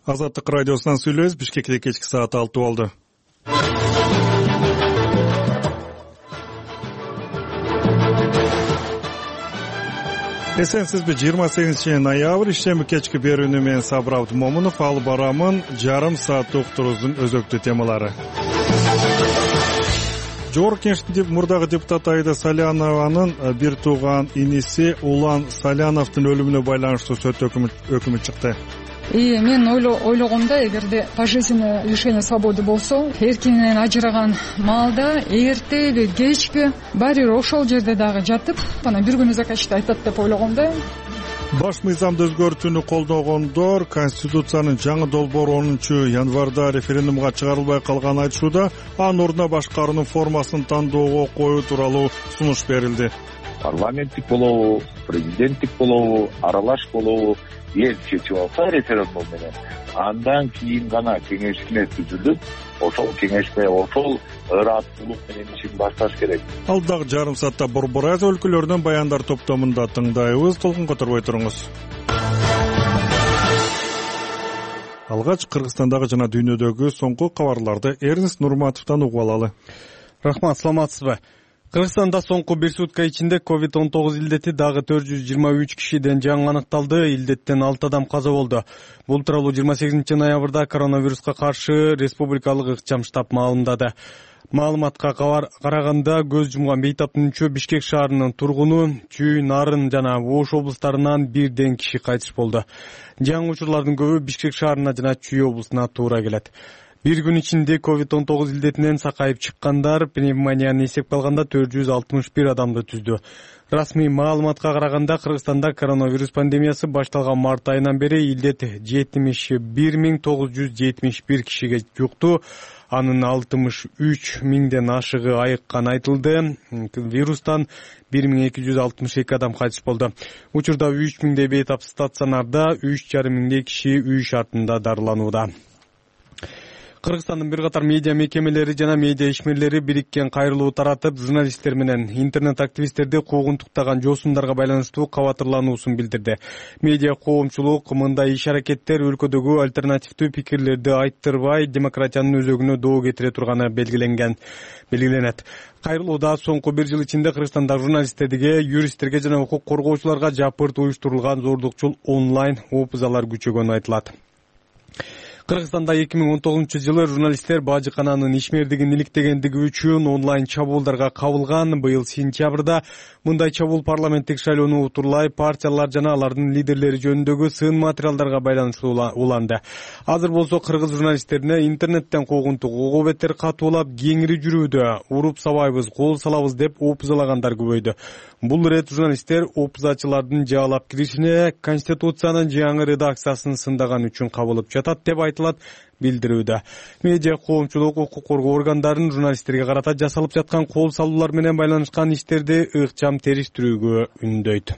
Азаттык радиосунан сүйлөбүз. Бишкекте кечки саат 6 болду. Эсенсизби? 28 ноябрь ишемби кечки берүүнү менен Сабыр Абдымомунов алып барамын. Жарым саат уктуруубуздун өзөктүү темалары. Жогорку Кеңештин мурдагы депутаты Аида Салянованын бир тууган иниси Улан Саляновдун өлүмүнө байланыштуу сот өкүмү чыкты. Мен ойлогомда, эгерде пожизненное лишение свободы болсо, эркинен ажыраган маалда эртеби кечки баары бир ошол жерде дагы жатып, анан бир күнү закачты айтат деп ойлогом да. Баш мыйзамды өзгөртүүнү колдогондор Конституциянын жаңы долбоору 10-январда референдумга чыгарылбай калганын айтышууда, анын ордуна башкаруунун формасын тандоого коюу тууралуу сунуш берилди. Парламенттик болобу, президенттик болобу, аралаш болобу, эл чечип алса референдум менен, андан кийин гана кеңешме түзүлүп, ошол кеңешме ошол ырааттуулук менен ишин башташ керек. Ал дагы жарым саатта Борбор Азия өлкөлөрүнөн баяндар топтомунда тыңдайбыз. Толкун которбой туруңуз. Алгач Кыргызстандагы жана дүйнөдөгү соңку кабарларды Эрнест Нурматовдон угуп алалы. Рахмат, саламатсызбы? Кыргызстанда соңку бир сутка ичинде COVID-19 илдети дагы 423 кишиден жаңы аныкталды. Илдеттен 6 адам каза болду. Бул тууралуу 28 ноябрда коронавируска каршы республикалык ыкчам штаб маалымдады. Маалыматка караганда көз жумган бейтаптын үчөө Бишкек шаарынын тургуну, Чүй, Нарын жана Ош облустарынан бирден киши кайтыш болду. Жаңы учурлардын көбү Бишкек шаарына жана Чүй облусуна туура келет. Bir gün içinde COVID-19 ilдетинен сакайып чыккандар пневмонияны эсепке алганда 461 адамды түздү. Расмий маалыматка караганда Кыргызстанда коронавирус пандемиясы башталган март айынан бери илдет 71.971 кишиге жукту. Анын 63 миңден ашыгы айыккан айтылды. Вирустан 1262 адам кайтыш болду. Учурда 3 миңдей бейтап стационарда, 3,5 миңдей киши үй шартында дарыланууда. Кыргызстандын бир катар медиа мекемелери жана медиа ишмерлери бириккен кайрылуу таратып, журналисттер менен интернет активисттерди куугунтуктаган жоосундарга байланыштуу кабатырлануусун билдирди. Медиа коомчулук мындай иш-аракеттер өлкөдөгү альтернативдүү пикирлерди айттырбай, демократиянын өзөгүнө доо кетире турганы белгиленет. Кайрылууда соңку бир жыл ичинде Кыргызстанда журналисттерге, юристтерге жана укук коргоочуларга жапырт уюштурулган зордукчул онлайн опузалар күчөгөнү айтылат. Кыргызстанда 2019-жылы журналисттер бажыкананын ишмердигин иликтегендиги үчүн онлайн чабуулдарга кабылган. Быйыл сентябрда мындай чабуул парламенттик шайлоону утурлай партиялар жана алардын лидерлери жөнүндөгү сын материалдарга байланыштуу уланды. Азыр болсо кыргыз журналисттерине интернеттен куугунтук угуу беттер катуулап кеңири жүрүүдө, уруп сабайбыз, кол салабыз деп опузалагандар көбөйдү. Бул ирет журналисттер опузачылардын жаалап киришине Конституциянын жаңы редакциясын сындаган үчүн кабылып жатат деп айтылат билдирүүдө. Медиа коомчулук укук коргоо органдарын журналисттерге карата жасалып жаткан кол салуулар менен байланышкан иштерди ыкчам териштирүүгө үндөйт.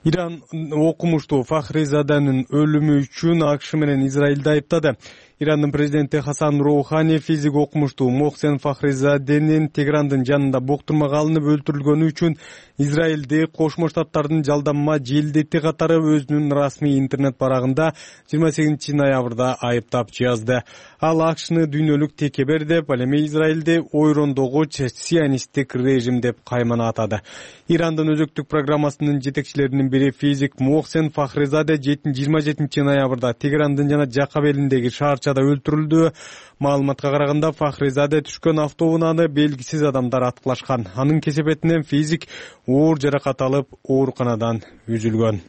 Иран окумуштуу Фахризаданын өлүмү үчүн АКШ менен Израилди айыптады. Ирандын президенти Хасан Роухани физик окумуштуу Мохсен Фахризаденин Теграндын жанында боктурмага алынып өлтүрүлгөнү үчүн Израилди Кошмо Штаттардын жалданма желдети катары өзүнүн расмий интернет барагында 28 ноябрда айыптап жазды. Ал АКШны дүйнөлүк текебер деп, ал эми Израилди ойрондогуч сионисттик режим деп каймана атады. Ирандын өзөктүк программасынын жетекчилеринин бири физик Мохсен Фахризаде 27 ноябрда Теграндын жана Жакап элиндеги шаарчада өлтүрүлдү. Маалыматка караганда Фахризаде түшкөн автоунааны белгисиз адамдар аткылашкан. Анын кесепетинен физик оор жаракат алып, ооруканадан үзүлгөн.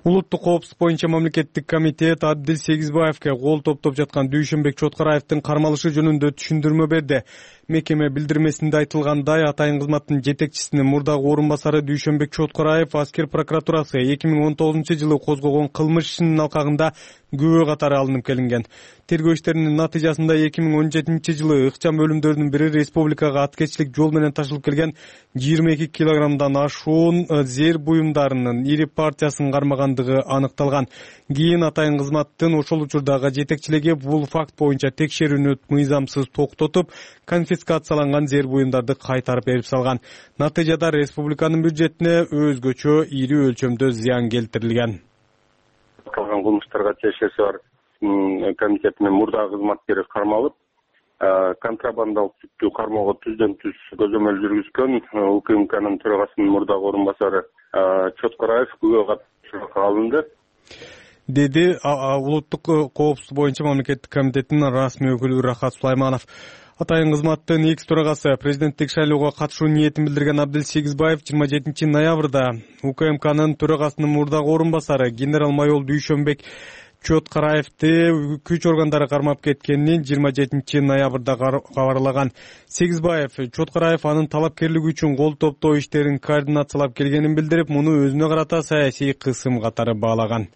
Улуттук коопсуздук боюнча мамлекеттик комитет Абдил Сегизбаевке кол топтоп жаткан Дүйшөнбек Чоткараевдин кармалышы жөнүндө түшүндүрмө берди. Мекеме билдирмесинде айтылгандай, атайын кызматтын жетекчисинин мурдагы орун басары Дүйшөнбек Чоткараев аскер прокуратурасы 2019-жылы козгогон кылмыш ишинин алкагында күбө катары алынып келинген. Тергөө иштеринин натыйжасында 2017-жылы ыкчам өлүмдөрдүн бири республикага аткечилик жол менен ташылып келген 22 килограммдан ашуун зер буюмдарынын ири партиясын кармагандыгы аныкталган. Кийин атайын кызматтын ошол учурдагы жетекчилиги бул факт боюнча текшерүүнү мыйзамсыз токтотуп, конфискацияланган зер буюмдарды кайтарып берип салган. Натыйжада республиканын бюджетине өзгөчө ири өлчөмдө зыян келтирилген. аталган кылмыштарга ТШС бар комитетинин мурдагы кызматкери кармалып, контрабандалык сүттү кармоого түздөн түз көзөмөл жүргүзгөн УКМКнын төрагасынын мурдагы орун басары Чоткараев күбө катышууга алынды, деди улуттук коопсуздук боюнча мамлекеттик комитеттин расмий өкүлү Рахат Сулайманов. Атайын кызматтын экс төрагасы президенттик шайлоого катышуу ниетин билдирген Абдел Сегизбаев 27 ноябрда УКМКнын төрагасынын мурдагы орун басары генерал-майор Дүйшөнбек Чоткараевди күч органдары кармап кеткенин 27 ноябрда кабарлаган. Сегизбаев Чоткараев анын талапкерлиги үчүн кол топтоо иштерин координациялап келгенин билдирип, муну өзүнө карата саясий кысым катары баалаган.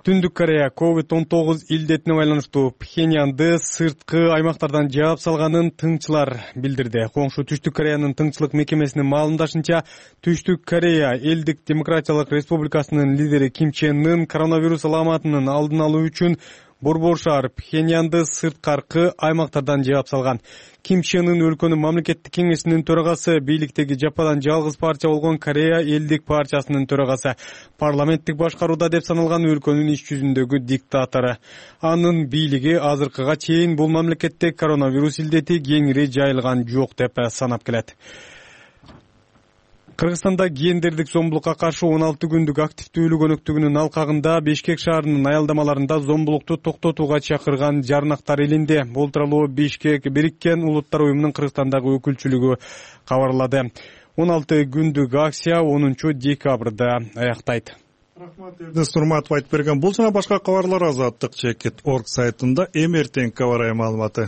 Түндүк Корея COVID-19 илдетине байланыштуу Пхеньянды сырткы аймактардан жаап салганын тыңчылар билдирди. Коңшу Түштүк Кореянын тыңчылык мекемесинин маалымдашынча, Түштүк Корея Элдик Демократиялык Республикасынын лидери Ким Чен Ын коронавирус аламатынын алдын алуу үчүн Борбор шаар Пхеньянды сырткаркы аймактардан жаап салган. Ким Чен Ын өлкөнүн мамлекеттик кеңешинин төрагасы, бийликтеги жападан жалгыз партия болгон Корея Элдик партиясынын төрагасы, парламенттик башкарууда деп саналган өлкөнүн иш жүзүндөгү диктатору. Анын бийлиги азыркыга чейин бул мамлекетте коронавирус илдети кеңири жайылган жок деп санап келет. Кыргызстанда гендердик зомбулукка каршы 16 күндүк активдүүлүк өнөктүгүнүн алкагында Бишкек шаарынын аялдамаларында зомбулукту токтотууга чакырган жарнактар илинди. Бул тууралуу Бишкек Бириккен Улуттар уюмунун Кыргызстандагы өкүлчүлүгү кабарлады. 16 күндүк акция 10 декабрда аяктайт. Рахмат, Эрдес Нурматов айтып берген. Бул жана башка кабарлар Азаттык.org сайтында эмертең кабар маалыматы.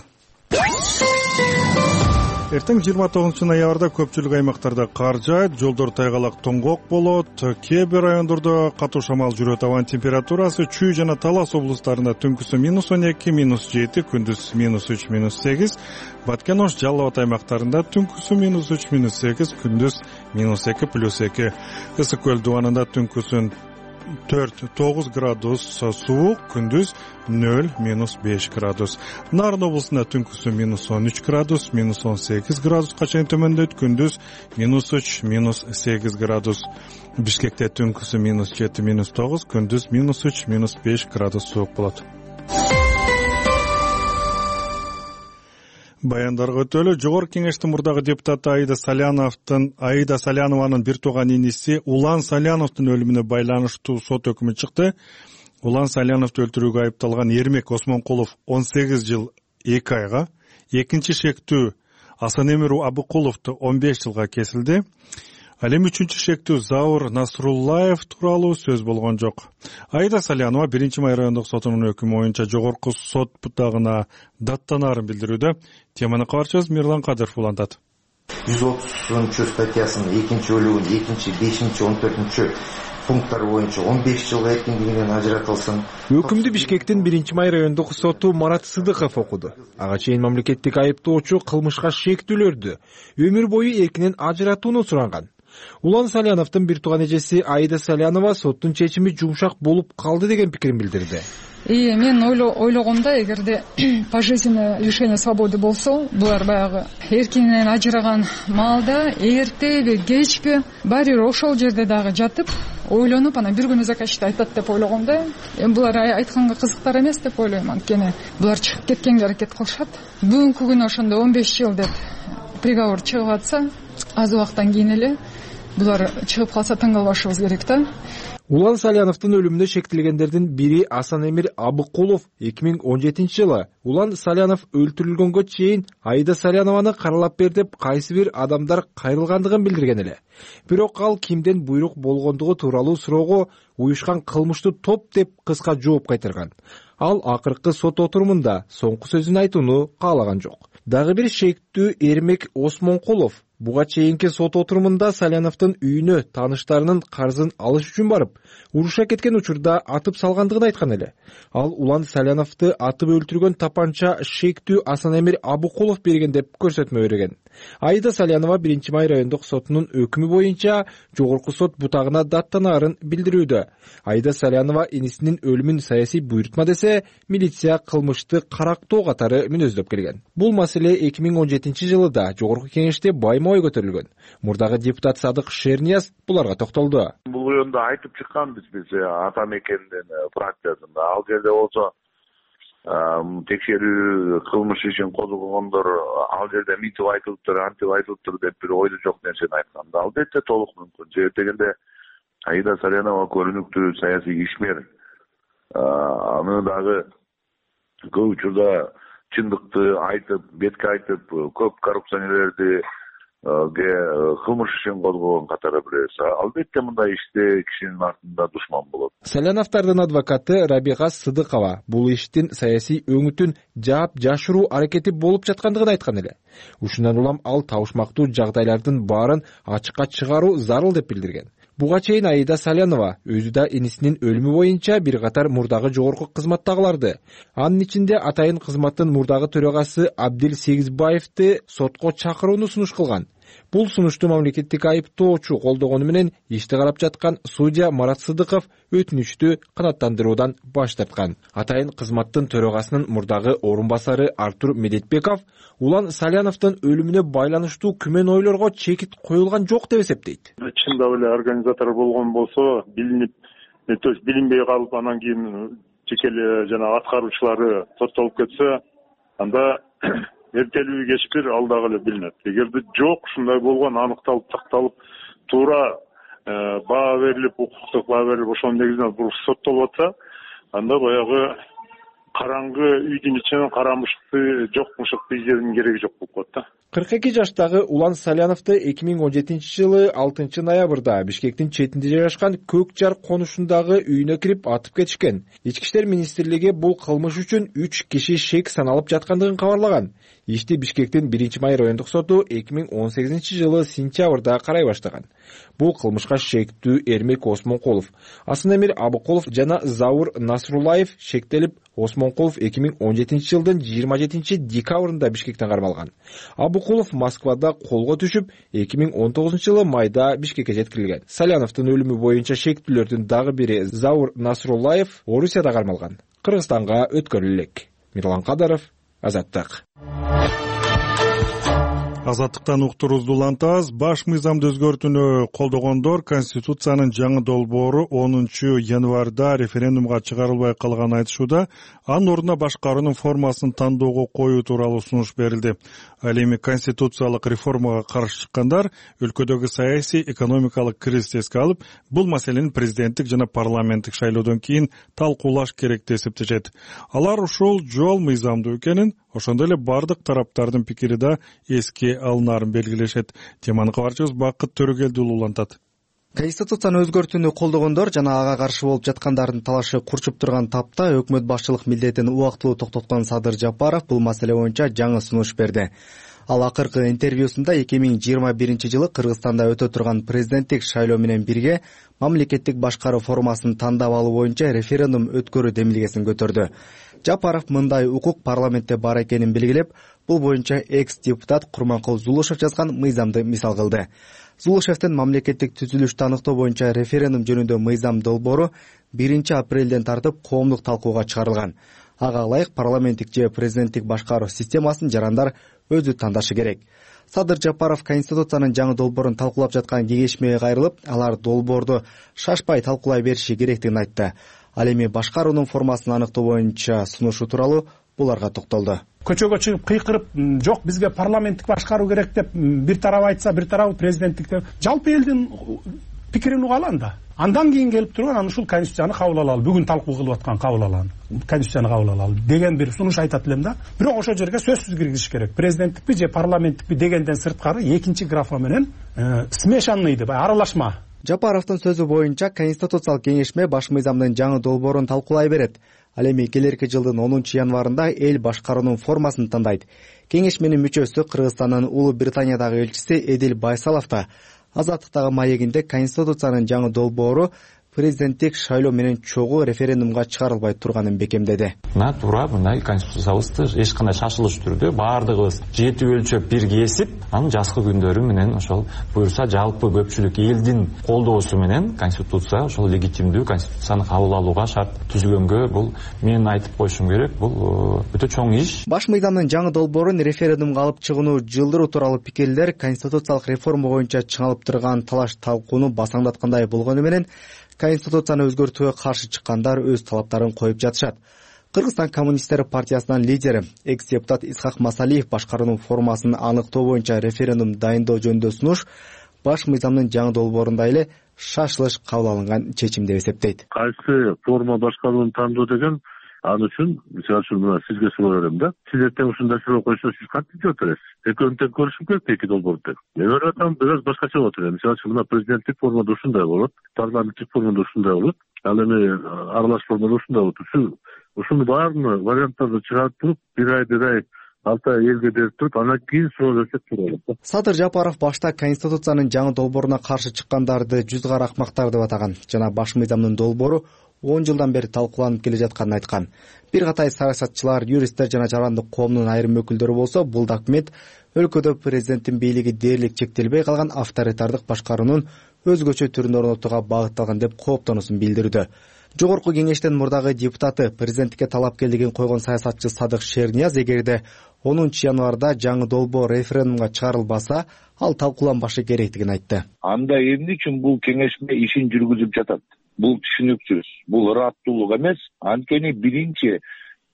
Эртең 29 ноябрда көпчүлүк аймактарда кар жаайт, жолдор тайгалак тоңгок болот, кээ бир райондордо катуу шамал жүрөт. Абанын температурасы Чүй жана Талас облустарында түнкүсү -12, -7, күндүз -3, -8, Баткен Ош, Жалал Абад аймактарында түнкүсү -3, -8, күндүз -2, +2. Ысык көл дубанында түнкүсүн 4-9 градус суук, күндүз 0-5 градус. Нарын облусунда түнкүсү -13 градус, -18 градуска чейин төмөндөйт, күндүз -3, -8 градус. Бишкекте түнкүсү -7, -9, күндүз -3, -5 градус суук болот. Баяндарга өтөлү. Жогорку кеңештин мурдагы депутаты Аида Салянованын бир тууган иниси Улан Саляновдун өлүмүнө байланыштуу сот өкүмү чыкты. Улан Саляновду өлтүрүүгө айыпталган Эрмек Осмонкулов 18 жыл 2 айга, экинчи шектүү Асанемир Абыкуловду 15 жылга кесилди. Ал эми үчүнчү шектүү Заур Насруллаев тууралуу сөз болгон жок. Аида Салянова 1-май райондук сотунун өкүмү боюнча жогорку сот бутагына даттанаарын билдирүүдө. Теманы кабарчыбыз Мирлан Кадыров улантат. 130 статьясынын 2 бөлүгүнүн 2, 5, 14 пункттары боюнча 15 жылга эркиндигинен ажыратылсын. Өкүмдү Бишкектин 1-май райондук соту Марат Сыдыков окуду. Ага чейин мамлекеттик айыптоочу кылмышка шектүүлөрдү өмүр бою эркинен ажыратууну суранган. Улан Саляновдун бир тууган эжеси Аида Салянова соттун чечими жумшак болуп калды деген пикирин билдирди. Мен ойлогомда, эгерде пожизненное лишение свободы болсо, булар баягы эркинен ажыраган маалда эртеби, кечпи баары бир ошол жерде дагы жатып, ойлонуп, анан бир күнү закачты айтат деп ойлогом да. Булар айтканга кызыктар эмес деп ойлойм. Анткени булар чыгып кеткенге аракет кылышат. Бүгүнкү күнү ошондо 15 жыл деп приговор чыгып атса, аз убакыттан кийин эле булар чыгып калса таң калбашыбыз керек да. Улан Саляновдун өлүмүнө шектелгендердин бири Асанемир Абыкулов 2017 жылы Улан Салянов өлтүрүлгөнгө чейин Аида Салянованы каралап бер деп кайсы бир адамдар кайрылгандыгын билдирген эле. Бирок ал кимден буйрук болгондугу тууралуу суроого уюшкан кылмыштуу топ деп кыска жооп кайтарган. Ал акыркы сот отурумунда соңку сөзүн айтууну каалаган жок. Дагы бир шектүү Эрмек Осмонкулов буга чейинки сот отурумунда Саляновдун үйүнө тааныштарынын карзын алыш үчүн барып, уруша кеткен учурда атып салгандыгын айткан эле. Ал Улан Саляновду атып өлтүргөн тапанча шектүү Асанемир Абыкулов берген деп көрсөтмө берген. Аида Салянова 1-май райондук сотунун өкүмү боюнча жогорку сот бутагына даттанаарын билдирүүдө. Аида Салянова инисинин өлүмүн саясий буйрутма десе, милиция кылмышты карактоо катары мүнөздөп келген. Бул маселе 2017 жылы да жогорку кеңеште байма айырма ой көтөрүлгөн. Мурдагы депутат Садык Шернияз буларга токтолду. Бул оюнда айтып чыкканбыз биз ата мекендин фракциясында. Ал жерде болсо текшерүү кылмыш ишин козгогондор ал жерде мынтип айтылыптыр, антип айтылыптыр деп бир ойду жок нерсени айтканда албетте толук мүмкүн. Себеп дегенде Аида Салянова көрүнүктүү саясий ишмер. Аны дагы көп учурда чындыкты айтып, бетке айтып, көп коррупционерлерди кылмыш ишин козгогон катары бирөөсү. Албетте мындай иште кишинин артында душман болот. Саляновдордун адвокаты Рабига Сыдыкова бул иштин саясий өңүтүн жаап жашыруу аракети болуп жаткандыгын айткан эле. Ушундан улам ал табышмактуу жагдайлардын баарын ачыкка чыгаруу зарыл деп билдирген. Буга чейин Аида Салянова өзү да инисинин өлүмү боюнча бир катар мурдагы жогорку кызматтагыларды, анын ичинде атайын кызматтын мурдагы төрагасы Абдил Сегизбаевди сотко чакырууну сунуш кылган. Бул сунушту мамлекеттик айыптоочу колдогону менен ишти карап жаткан судья Марат Сыдыков өтүнүчтү канааттандыруудан баш тарткан. Атайын кызматтын төрагасынын мурдагы орун басары Артур Медетбеков Улан Саляновдун өлүмүнө байланыштуу күмөн ойлорго чекит коюлган жок деп эсептейт. Чындап эле организатор болгон болсо, билинбей калып, анан кийин жеке эле жана аткаруучулары соттолуп кетсе, анда эртелүү кечпир ал дагы эле билинет. Эгерде жок, ушундай болгон, аныкталып, такталып, туура баа берилип, укуктук баа берилип, ошонун негизинен бул соттолуп атса, анда баягы караңгы үйдүн ичинен кара мышыкты, жок мышыкты издеүүнүн кереги жок болуп калат да. 42 жаштагы Улан Саляновду 2017 жылы 6 ноябрда Бишкектин четинде жайгашкан Көк Жар конушундагы үйүнө кирип атып кетишкен. Ички иштер министрлиги бул кылмыш үчүн 3 киши шек саналып жаткандыгын кабарлаган. Ишти Бишкектин 1-май райондук соту 2018 жылы сентябрда карай баштаган. Бул кылмышка шектүү Эрмек Осмонкулов, Асанэмир Абыкулов жана Заур Насруллаев шектелип, Осмонкулов 2017 жылдын 27 декабрында Бишкектен кармалган. Абыкулов Москвада колго түшүп, 2019 жылы майда Бишкекке жеткирилген. Саляновдун өлүмү боюнча шектүүлөрдүн дагы бири Заур Насруллаев Орусияда кармалган. Кыргызстанга өткөрүлөт. Мирлан Кадаров, Азаттык. Азаттыктан уктуруубузду улантабыз. Баш мыйзамды өзгөртүүнү колдогондор Конституциянын жаңы долбоору 10 январда референдумга чыгарылбай калганын айтышууда, анын ордуна башкаруунун формасын тандоого коюу тууралуу сунуш берилди. Ал эми конституциялык реформага каршы чыккандар өлкөдөгү саясий экономикалык кризисти эске алып, бул маселени президенттик жана парламенттик шайлоодон кийин талкуулаш керек деп эсептешет. Алар ушул жол мыйзамдуу экенин, ошондой эле бардык тараптардын пикири да эске алынаарын белгилешет. Теманы кабарчыбыз Бакыт Төрөгелдиұлы улантат. Конституцияны өзгөртүүнү колдогондор жана ага каршы болуп жаткандардын талашы курчуп турган тапта өкмөт башчылык милдетин убактылуу токтоткон Садыр Жапаров бул маселе боюнча жаңы сунуш берди. Ал акыркы интервьюсунда 2021 жылы Кыргызстанда өтө турган президенттик шайлоо менен бирге мамлекеттик башкаруу формасын тандап алуу боюнча референдум өткөрүү демилгесин көтөрдү. Жапаров мындай укук парламентте бар экенин белгилеп, бул боюнча экс-депутат Курманкул Зулушев жазган мыйзамды мисал кылды. Зулушевдин мамлекеттик түзүлүштү аныктоо боюнча референдум жөнүндө мыйзам долбоору 1 апрелден тартып коомдук талкууга чыгарылган. Ага ылайык парламенттик же президенттик башкаруу системасын жарандар өзү тандашы керек. Садыр Жапаров Конституциянын жаңы долбоорун талкуулап жаткан кеңешмеге кайрылып, алар долбоорду шашпай талкуулай бериши керектигин айтты. Ал эми башкаруунун формасын аныктоо боюнча сунушу тууралуу буларга токтолду. Көчөгө чыгып кыйкырып, жок бизге парламенттик башкаруу керек деп бир тарап айтса, бир тарабы президенттик деп, жалпы элдин пикирин угалы анда. Андан кийин келип турган аны ушул конституцияны кабыл алалы, бүгүн талкуу кылып аткан кабыл алалы, конституцияны кабыл алалы деген бир сунуш айтат элем да. Бирок ошол жерге сөзсүз киргизиш керек. Президенттикпи же парламенттикпи дегенден сырткары экинчи графа менен смешанный деп аралашма. Жапаровдун сөзү боюнча Конституциялык кеңешме баш мыйзамдын жаңы долбоорун талкуулай берет. Ал эми келерки жылдын 10 январында эл башкаруунун формасын тандайт. Кеңешменин мүчөсү Кыргызстандын Улуу Британиядагы элчиси Эдил Байсалов да Азаттыктагы маегинде Конституциянын жаңы долбоору президенттик шайлоо менен чогуу референдумга чыгарылбай турганын бекемдеди. Мына туура мындай конституциябызды эч кандай шашылыш түрдө баардыгыбыз жетип өлчөп бир кесип, анын жазкы күндөрү менен ошол буюрса жалпы көпчүлүк элдин колдоосу менен конституция ошол легитимдүү конституцияны кабыл алууга шарт түзүлгөнгө бул мен айтып коюшум керек, бул өтө чоң иш. Баш мыйзамдын жаңы долбоорун референдумга алып чыгууну жылдыруу тууралуу пикирлер конституциялык реформа боюнча чыңалып турган талаш талкууну басаңдаткандай болгону менен конституцияны өзгөртүүгө каршы чыккандар өз талаптарын коюп жатышат. Кыргызстан коммунисттер партиясынын лидери экс-депутат Исхак Масалиев башкаруунун формасын аныктоо боюнча референдум дайындоо жөнүндө сунуш баш мыйзамдын жаңы долбоорунда эле шашылыш кабыл алынган чечим деп эсептейт. Кайсы форма башкарууну тандоо деген ал үчүн мисалы үчүн мына сизге суроо берем да. Сиз эртең ушундай суроо койсо сиз кантип жооп бересиз? Экөөнү тең көрүшүм керек эки долбоорду деп. Мен ойлоп атам бир аз башкача болот эле. Мисалы үчүн мына президенттик формада ушундай болот, парламенттик формада ушундай болот, ал эми аралаш формада ушундай болот. Ушуну баарын варианттарды чыгарып туруп, бир ай 6 ай элге берип туруп, андан кийин суроо берсек туура болот. Садыр Жапаров башта конституциянын жаңы долбооруна каршы чыккандарды жүз кара акмактар деп атаган жана баш мыйзамдын долбоору 10 жылдан бери талкууланып келе жатканын айткан. Бир катай саясатчылар, юристтер жана жарандык коомдун айрым өкүлдөрү болсо бул документ өлкөдө президенттин бийлиги дээрлик чектелбей калган авторитардык башкаруунун өзгөчө түрүн орнотууга багытталган деп кооптонуусун билдирүүдө. Жогорку кеңештин мурдагы депутаты, президенттикке талапкерлигин койгон саясатчы Садык Шернияз эгерде 10 январда жаңы долбоор референдумга чыгарылбаса, ал талкууланбашы керектигин айтты. Анда эмне үчүн бул кеңешме ишин жүргүзүп жатат? Бул түшүнүксүз, бул ыраттуулук эмес. Анткени биринчи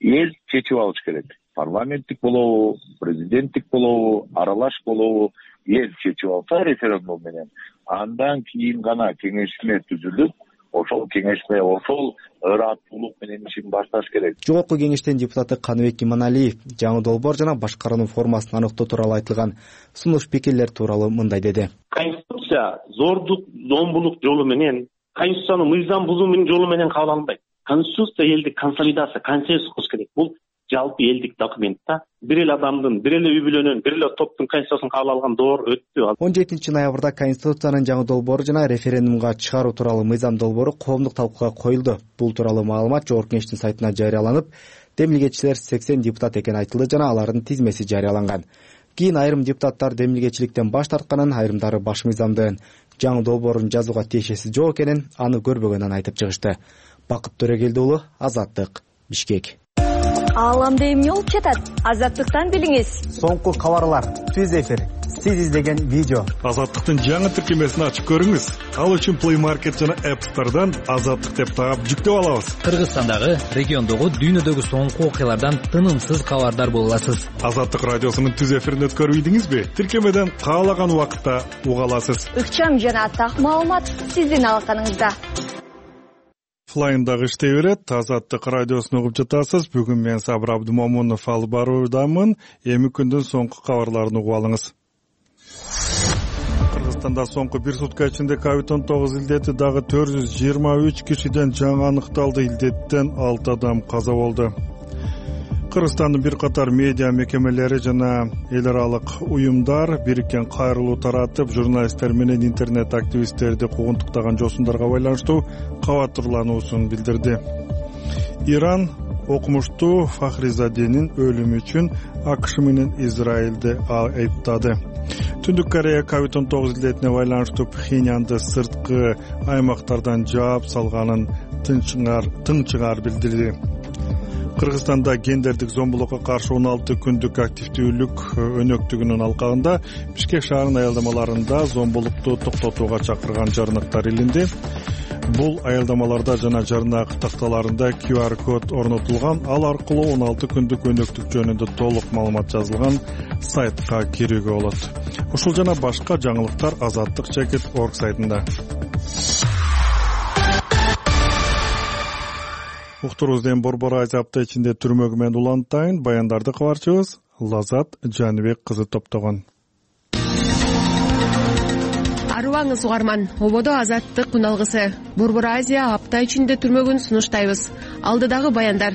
эл чечип алыш керек. Парламенттик болобу, президенттик болобу, аралаш болобу, эл чечип алса референдум менен, андан кийин гана кеңешме түзүлүп, ошол кеңешме ошол ыраттуулук менен ишин башташ керек. Жогорку кеңештин депутаты Каныбек Иманалиев жаңы долбоор жана башкаруунун формасын аныктоо тууралуу айтылган сунуш пикирлер тууралуу мындай деди. Конституция зордук, зомбулук жолу менен, конституцияны мыйзам бузуу жолу менен кабыл алынбайт. Конституция элдик консолидация, консенсус кылыш керек. Бул жалпы элдик документ да. Бир эле адамдын, бир эле үй бүлөнүн, бир эле топтун конституциясын кабыл алган доор өттү. 17 ноябрда конституциянын жаңы долбоору жана референдумга чыгаруу тууралуу мыйзам долбоору коомдук талкууга коюлду. Бул тууралуу маалымат Жогорку кеңештин сайтына жарыяланып, демилгечилер 80 депутат экени айтылды жана алардын тизмеси жарыяланган. Кийин айрым депутаттар демилгечиликтен баш тартканын, айрымдары баш мыйзамдын жаңы долбоорун жазууга тиешеси жок экенин, аны көрбөгөнүн айтып чыгышты. Бакыт Төрөгелди уулу, Азаттык, Бишкек. Ааламда эмне болуп жатат? Азаттыктан билиңиз. Соңку кабарлар, түз эфир, сиз издеген видео. Азаттыктын жаңы тиркемесин ачып көрүңүз. Ал үчүн Play Market жана App Store'дан Азаттык деп таап жүктөп алабыз. Кыргызстандагы, региондогу, дүйнөдөгү соңку окуялардан тынымсыз кабардар боло аласыз. Азаттык радиосунун түз эфирин өткөрүп ийдиңизби? Тиркемеден каалаган убакытта уга аласыз. Ыкчам жана так маалымат сиздин алаканыңызда. Флайндагы иштей берет. Азаттык радиосун угуп жатасыз. Бүгүн мен Сабыр Абдымомунов алып баруудамын. Эми күндүн соңку кабарларын угуп алыңыз. Кыргызстанда соңку бир сутка ичинде COVID-19 илдети дагы 423 кишиден жаңы аныкталды. Илдеттен 6 адам каза болду. Кыргызстандын бир катар медиа мекемелери жана эл аралык уюмдар бириккен кайрылуу таратып, журналисттер менен интернет активисттерди куугунтуктаган жосундарга байланыштуу кабатырлануусун билдирди. Иран окумуштуу Фахризаденин өлүмү үчүн АКШ менен Израилди айыптады. Түндүк Корея COVID-19 илдетине байланыштуу Пхеньянды сырткы аймактардан жаап салганын тынчыңар билдирди. Кыргызстанда гендердик зомбулукка каршы 16 күндүк активдүүлүк өнөктүгүнүн алкагында Бишкек шаарынын аялдамаларында зомбулукту токтотууга чакырган жарныктар илинди. Бул аялдамаларда жана жарнак такталарында QR код орнотулган. Ал аркылуу 16 күндүк өнөктүк жөнүндө толук маалымат жазылган сайтка кирүүгө болот. Ушул жана башка жаңылыктар Азаттык.org сайтында. Уктурузден Борбор Азия апта ичинде түрмөгү менен улантайын баяндарды кабарчыбыз Лазат Жаныбек кызы топтогон. Арыбаңыз угарман, ободо Азаттык күналгысы. Борбор Азия апта ичинде түрмөгүн сунуштайбыз. Алдыдагы баяндар.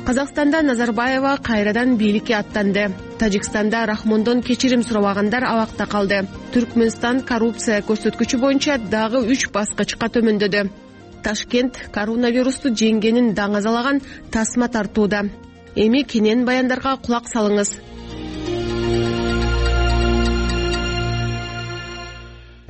Казакстанда Назарбаева кайрадан бийликке аттанды. Тажикстанда Рахмондон кечирим сурабагандар абакта калды. Түркмөнстан коррупция көрсөткүчү боюнча дагы 3 баскычка төмөндөдү. Ташкент коронавирусту жеңгенин даңазалаган тасма тартууда. Эми кенен баяндарга кулак салыңыз.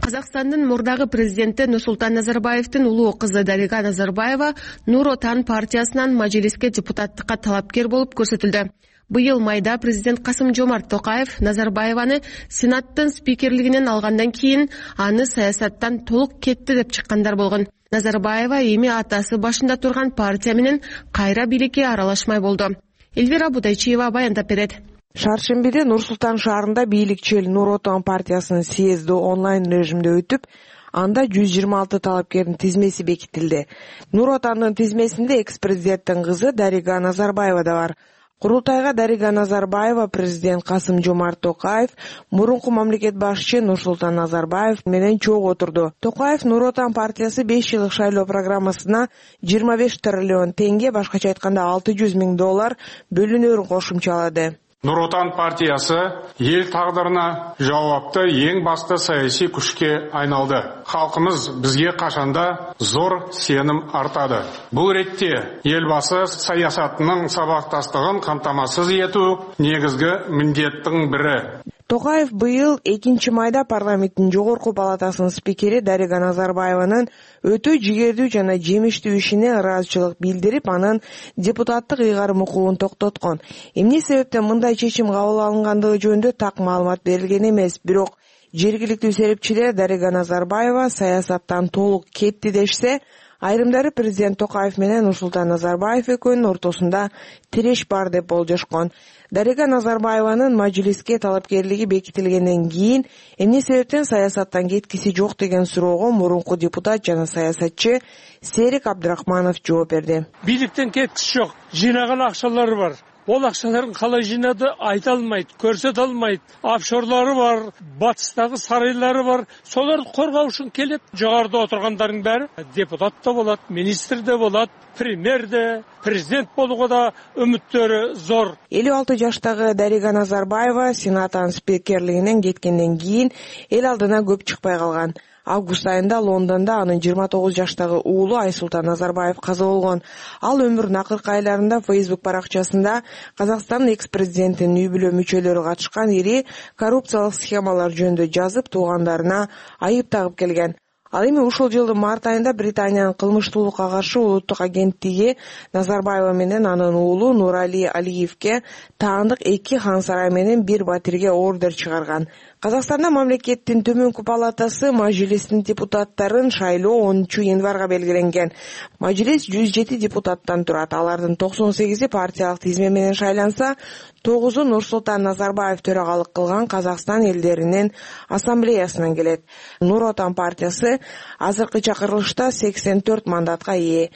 Казакстандын мурдагы президенти Нурсултан Назарбаевдин улуу кызы Дарига Назарбаева Нур Отан партиясынан мажлиске депутаттыкка талапкер болуп көрсөтүлдү. Быйыл майда президент Касым-Жомарт Токаев Назарбаеваны Сенаттын спикерлигинен алгандан кийин аны саясаттан толук кетти деп чыккандар болгон. Назарбаева эми атасы башында турган партия менен кайра бийликке аралашмай болду. Элвира Будайчиева баяндап берет. Шаршембиде Нур-Султан шаарында бийликчил Нур Отан партиясынын съезди онлайн режимде өтүп, анда 126 талапкердин тизмеси бекитилди. Нур Отандын тизмесинде экс-президенттин кызы Дарига Назарбаева да бар. Курултайга Дарига Назарбаева, президент Касым-Жомарт Токаев, мурунку мамлекет башчы Нурсултан Назарбаев менен чогуу отурду. Токаев Нур Отан партиясы 5 жылдык шайлоо программасына 25 триллион теңге, башкача айтканда $600 000 бөлүнөрүн кошумчалады. Нур Отан партиясы ел тагдырына жауапты эң басты саясий күчкө айналды. Халкымыз бизге качанда зор сеним артады. Бул ретте элбасы саясатынын сабактастыгын камтамасыз этүү негизги милдеттин бири. Токаев быйыл 2 майда парламенттин жогорку палатасынын спикери Дарига Назарбаеванын өтө жигердүү жана жемиштүү ишине ыраазычылык билдирип, анын депутаттык ыйгарым укугун токтоткон. Эмне себептен мындай чечим кабыл алынгандыгы жөнүндө так маалымат берилген эмес, бирок жергиликтүү серепчилер Дарига Назарбаева саясаттан толук кетти дешсе, айрымдары президент Токаев менен Нурсултан Назарбаев экөөнүн ортосунда тиреш бар деп болжошкон. Дарига Назарбаеванын мажлиске талапкерлиги бекитилгенден кийин эмне себептен саясаттан кеткиси жок деген суроого мурунку депутат жана саясатчы Серик Абдрахманов жооп берди. Бийликтен кеткиси жок, жыйнаган акчалары бар. Ол акчаларын калай жыйнады айта алмайт, көрсөтө алмайт. Офшорлору бар, батыстагы сарайлары бар. Солорду коргоо үчүн келип, жогоруда отургандардын баары депутат да болот, министр да болот, премьер да, президент болууга да үмүттөрү зор. 56 жаштагы Дарига Назарбаева Сенаттын спикерлигинен кеткенден кийин эл алдына көп чыкпай калган. Август айында Лондондо анын 29 жаштагы уулу Айсултан Назарбаев каза болгон. Ал өмүрүнүн акыркы айларында Facebook баракчасында Казакстандын экс-президентинин үй бүлө мүчөлөрү катышкан ири коррупциялык схемалар жөнүндө жазып, туугандарына айып тагып келген. Ал эми ушул жылдын март айында Британиянын кылмыштуулукка каршы улуттук агенттиги Назарбаева менен анын уулу Нурали Алиевке таандык 2 хан сарай менен 1 батирге ордер чыгарган. Казакстанда мамлекеттин төмөнкү палатасы мажлистин депутаттарын шайлоо 10 январга белгиленген. Мажлис 107 депутаттан турат. Алардын 98-и партиялык тизме менен шайланса, 9-у Нурсултан Назарбаев төрагалык кылган Казакстан элдеринин ассамблеясынан келет. Нур Отан партиясы азыркы чакырылышта 84 мандатка ээ.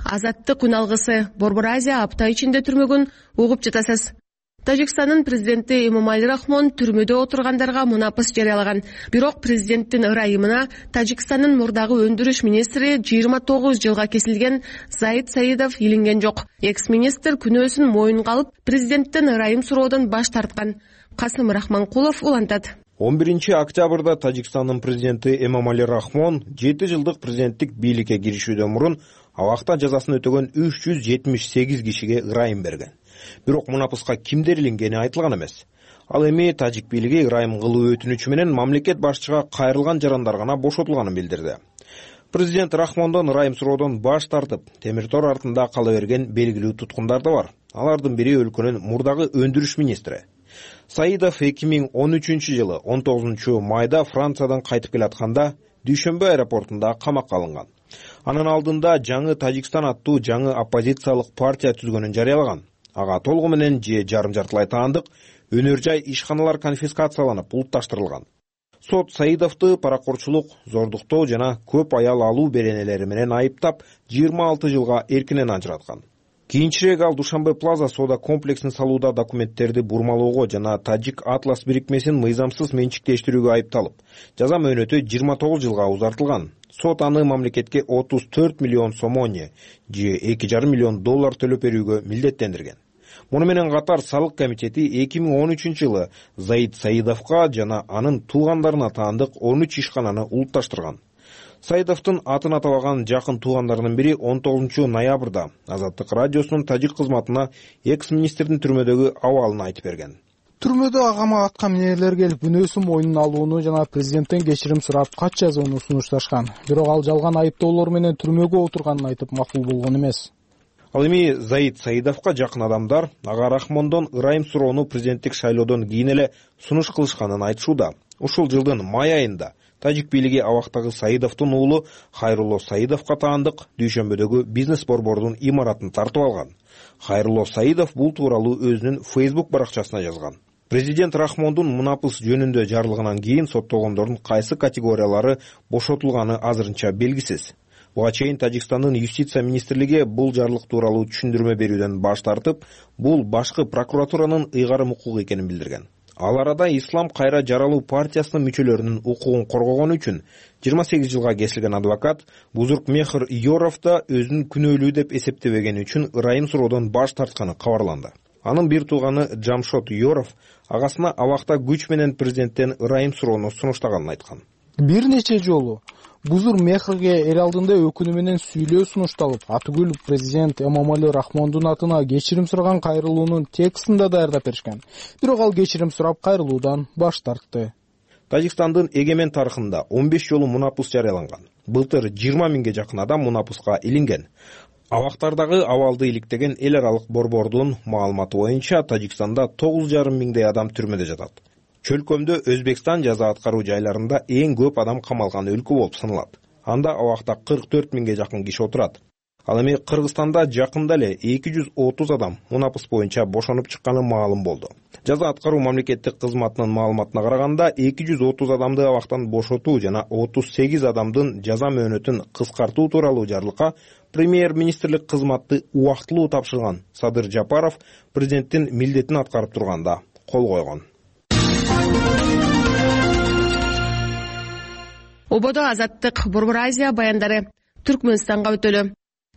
Азаттык күн алгысы. Борбор Азия апта ичинде түрмөгүн угуп жатасыз. Тажикстандын президенти Эмомали Рахмон түрмөдө отургандарга мунапыс жарыялаган. Бирок президенттин ырайымына Тажикстандын мурдагы өндүрүш министри 29 жылга кесилген Заид Саидов илинген жок. Экс-министр күнөөсүн моюнга алып, президенттин ырайым суроодон баш тарткан. Касым Рахманкулов улантат. 11 октябрда Тажикстандын президенти Эмомали Рахмон 7 жылдык президенттик бийликке киришүүдөн мурун абакта жазасын өтөгөн 378 кишиге ырайым берген. Бирок мунапыска кимдер илингени айтылган эмес. Ал эми тажик бийлиги ырайым кылуу өтүнүчү менен мамлекет башчыга кайрылган жарандар гана бошотулганын билдирди. Президент Рахмондон ырайым суроодон баш тартып, темир тор артында кала берген белгилүү туткундар да бар. Алардын бири өлкөнүн мурдагы өндүрүш министри. Саидов 2013 жылы 19 майда Франциядан кайтып келатканда Дүйшөмбө аэропортунда камакка алынган. Анын алдында жаңы Тажикстан аттуу жаңы оппозициялык партия түзгөнүн жарыялаган. Ага толугу менен же жарым жартылай таандык өнөр жай ишканалар конфискацияланып, булутташтырылган. Сот Саидовду паракорчулук, зордуктоо жана көп аял алуу беренелери менен айыптап 26 жылга эркинен ажыраткан. Кийинчерээк ал Душанбе Плаза соода комплексин салууда документтерди бурмалоого жана Тажик Атлас бирикмесин мыйзамсыз менчиктештирүүгө айыпталып, жаза мөөнөтү 29 жылга узартылган. Сот аны мамлекетке 34 миллион сомоне же $2,5 миллион төлөп берүүгө милдеттендирген. Муну менен катар салык комитети 2013-жылы Заид Саидовго жана анын туугандарына таандык 13 ишкананы улутташтырган. Саидовдун атын атабаган жакын туугандарынын бири 19 ноябрда Азаттык радиосунун тажик кызматына экс-министрдин түрмөдөгү абалын айтып берген. Түрмөдө агама аткан мнениелер келип, күнөөсүн мойнуна алууну жана президенттен кечирим сурап кат жазууну сунушташкан. Бирок ал жалган айыптоолор менен түрмөгө отурганын айтып макул болгон эмес. Ал эми Заид Саидовго жакын адамдар ага Рахмондон ырайым суроону президенттик шайлоодон кийин эле сунуш кылышканын айтышууда. Ушул жылдын май айында тажик бийлиги абактагы Саидовдун уулу Хайрулло Саидовго таандык Дүйшөмбөдөгү бизнес борбордун имаратын тартып алган. Хайрулло Саидов бул тууралуу өзүнүн Facebook баракчасына жазган. Президент Рахмондун мунапыс жөнүндө жарлыгынан кийин соттолгондордун кайсы категориялары бошотулганы азырынча белгисиз. Буга чейин Тажикстандын юстиция министрлиги бул жарлык тууралуу түшүндүрмө берүүдөн баш тартып, бул башкы прокуратуранын ыйгарым укугу экенин билдирген. Ал арада Ислам кайра жаралуу партиясынын мүчөлөрүнүн укугун коргогон үчүн 28 жылга кесилген адвокат Бузуркмехр Йоров да өзүн күнөөлүү деп эсептебегени үчүн ырайым суроодон баш тартканы кабарланды. Анын бир тууганы Жамшот Йоров агасына абакта күч менен президенттен ырайым суроону сунуштаганын айткан. Бир нече жолу Бузуркмехрге эл алдында өкүнүү менен сүйлөө сунушталып, атүгүл президент Эмомали Рахмондун атына кечирим сураган кайрылуунун текстин да даярдап беришкен. Бирок ал кечирим сурап кайрылуудан баш тартты. Тажикстандын эгемен тарыхында 15 жолу мунапыс жарыяланган. Былтыр 20 миңге жакын адам мунапыска илинген. Абактардагы абалды иликтеген эл аралык борбордун маалыматы боюнча Тажикстанда 9,5 миңдей адам түрмөдө жатат. Чөлкөмдө Өзбекстан жаза аткаруу жайларында эң көп адам камалган өлкө болуп саналат. Анда абакта 44 миңге жакын киши отурат. Ал эми Кыргызстанда жакында эле 230 адам мунапыс боюнча бошонуп чыкканы маалым болду. Жаза аткаруу мамлекеттик кызматынын маалыматына караганда 230 адамды абактан бошотуу жана 38 адамдын жаза мөөнөтүн кыскартуу тууралуу жарлыкка премьер-министрлик кызматты убактылуу тапшырган Садыр Жапаров президенттин милдетин аткарып турганда кол койгон. Ободо Азаттык Борбор Азия баяндары Түркмөнстанга өтөлү.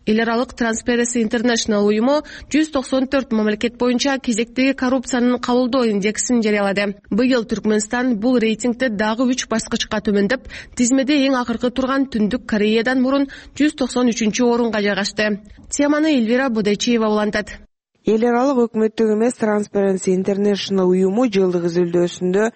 Эл аралык Transparency International уюму 194 мамлекет боюнча кезектеги коррупциянын кабылдоо индексин жарыялады. Быйыл Түркмөнстан бул рейтингде дагы 3 баскычка төмөндөп, тизмеде эң акыркы турган Түндүк Кореядан мурун 193-орунга жайгашты. Теманы Эльвира Бодечиева улантат. Эл аралык өкмөттүк эмес Transparency International уюму жылдык изилдөөсүндө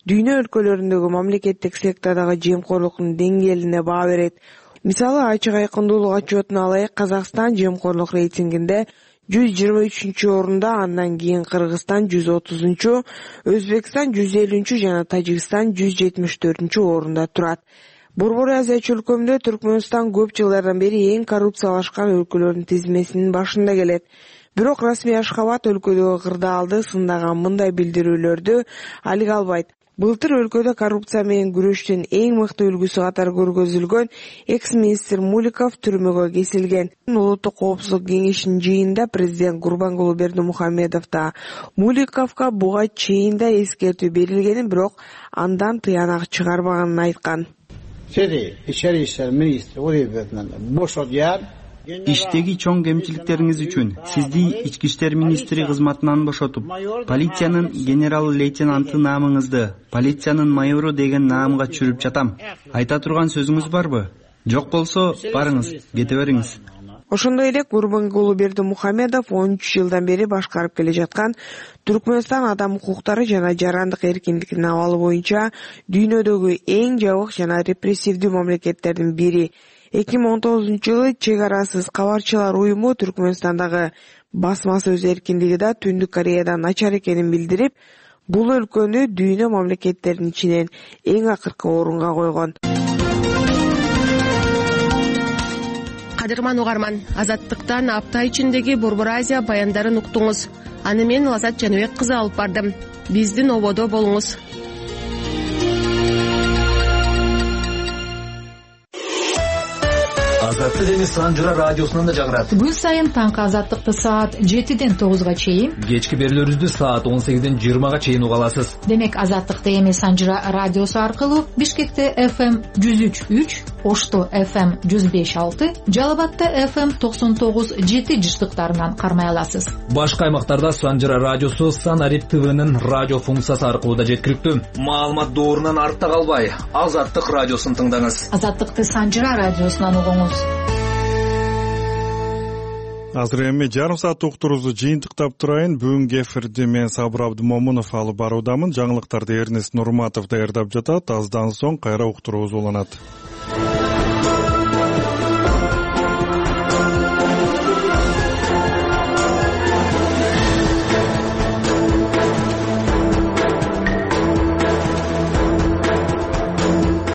дүйнө өлкөлөрүндөгү мамлекеттик сектордогу жемкорлуктун деңгээлине баа берет. Мисалы, ачык айкындуулук отчетуна алайык, Казакстан жемкорлук рейтингинде 123-орунда, андан кийин Кыргызстан 130-чу, Өзбекстан 150-чү жана Тажикстан 174-орунда турат. Борбор Азия чөлкөмүндө Түркмөнстан көп жылдардан бери эң коррупциялашкан өлкөлөрдүн тизмесинин башында келет. Бирок расмий Ашхабад өлкөдөгү кырдаалды сындаган мындай билдирүүлөрдү алга албайт. Былтыр өлкөдө коррупция менен күрөштүн эң мыкты үлгүсү катары көргөзүлгөн экс-министр Муликов түрмөгө кесилген. Улуттук коопсуздук кеңешинин жыйынында президент Гурбангулы Бердимухамедов да Муликовго буга чейин да эскертүү берилгенин, бирок андан тыянак чыгарбаганын айткан. Иштеги чоң кемчиликтериңиз үчүн сизди ички иштер министри кызматынан бошотуп, полициянын генерал-лейтенанты наамыңызды полициянын майору деген наамга чүрүп жатам. Айта турган сөзүңүз барбы? Жок болсо, барыңыз, кете бериңиз. Ошондой эле Гурбангулы Бердимухамедов 13 жылдан бери башкарып келе жаткан Түркмөнстан адам укуктары жана жарандык эркиндигинин абалы боюнча дүйнөдөгү эң жабык жана репрессивдүү мамлекеттердин бири. 2019-жылы чек арасыз кабарчылар уюму Түркмөнстандагы басма сөз эркиндиги да Түндүк Кореядан начар экенин билдирип, бул өлкөнү дүйнө мамлекеттеринин ичинен эң акыркы орунга койгон. Кадырман угарман, Азаттыктан апта ичиндеги Борбор Азия баяндарын уктуңуз. Аны мен Лазат Жаныбек кызы алып бардым. Биздин ободо болуңуз. Азаттык эми Санжыра радиосунан да жагырат. Күн сайын таңкы Азаттыкты саат 7-ден 9-га чейин, кечки берүүлөрүбүздү саат 18-ден 20-га чейин уга аласыз. Демек Азаттыкты эми Санжыра радиосу аркылуу Бишкекте FM 103.3, Ошто FM 105.6, Жалал Абадта FM 99.7 жыштыктарынан кармай аласыз. Башка аймактарда Санжыра радиосу Санарип ТВнын радио функциясы аркылуу да жеткиликтүү. Маалымат доорунан артта калбай, Азаттык радиосун тыңдаңыз. Азаттыкты Санжыра радиосунан угуңуз. Азыр эми жарым саат уктурубузду жыйынтыктап турайын. Бүгүнкү эфирди мен Сабыр Абдымомунов алып баруудамын. Жаңылыктарды Эрнест Нурматов даярдап жатат. Аздан соң кайра уктурубуз уланат.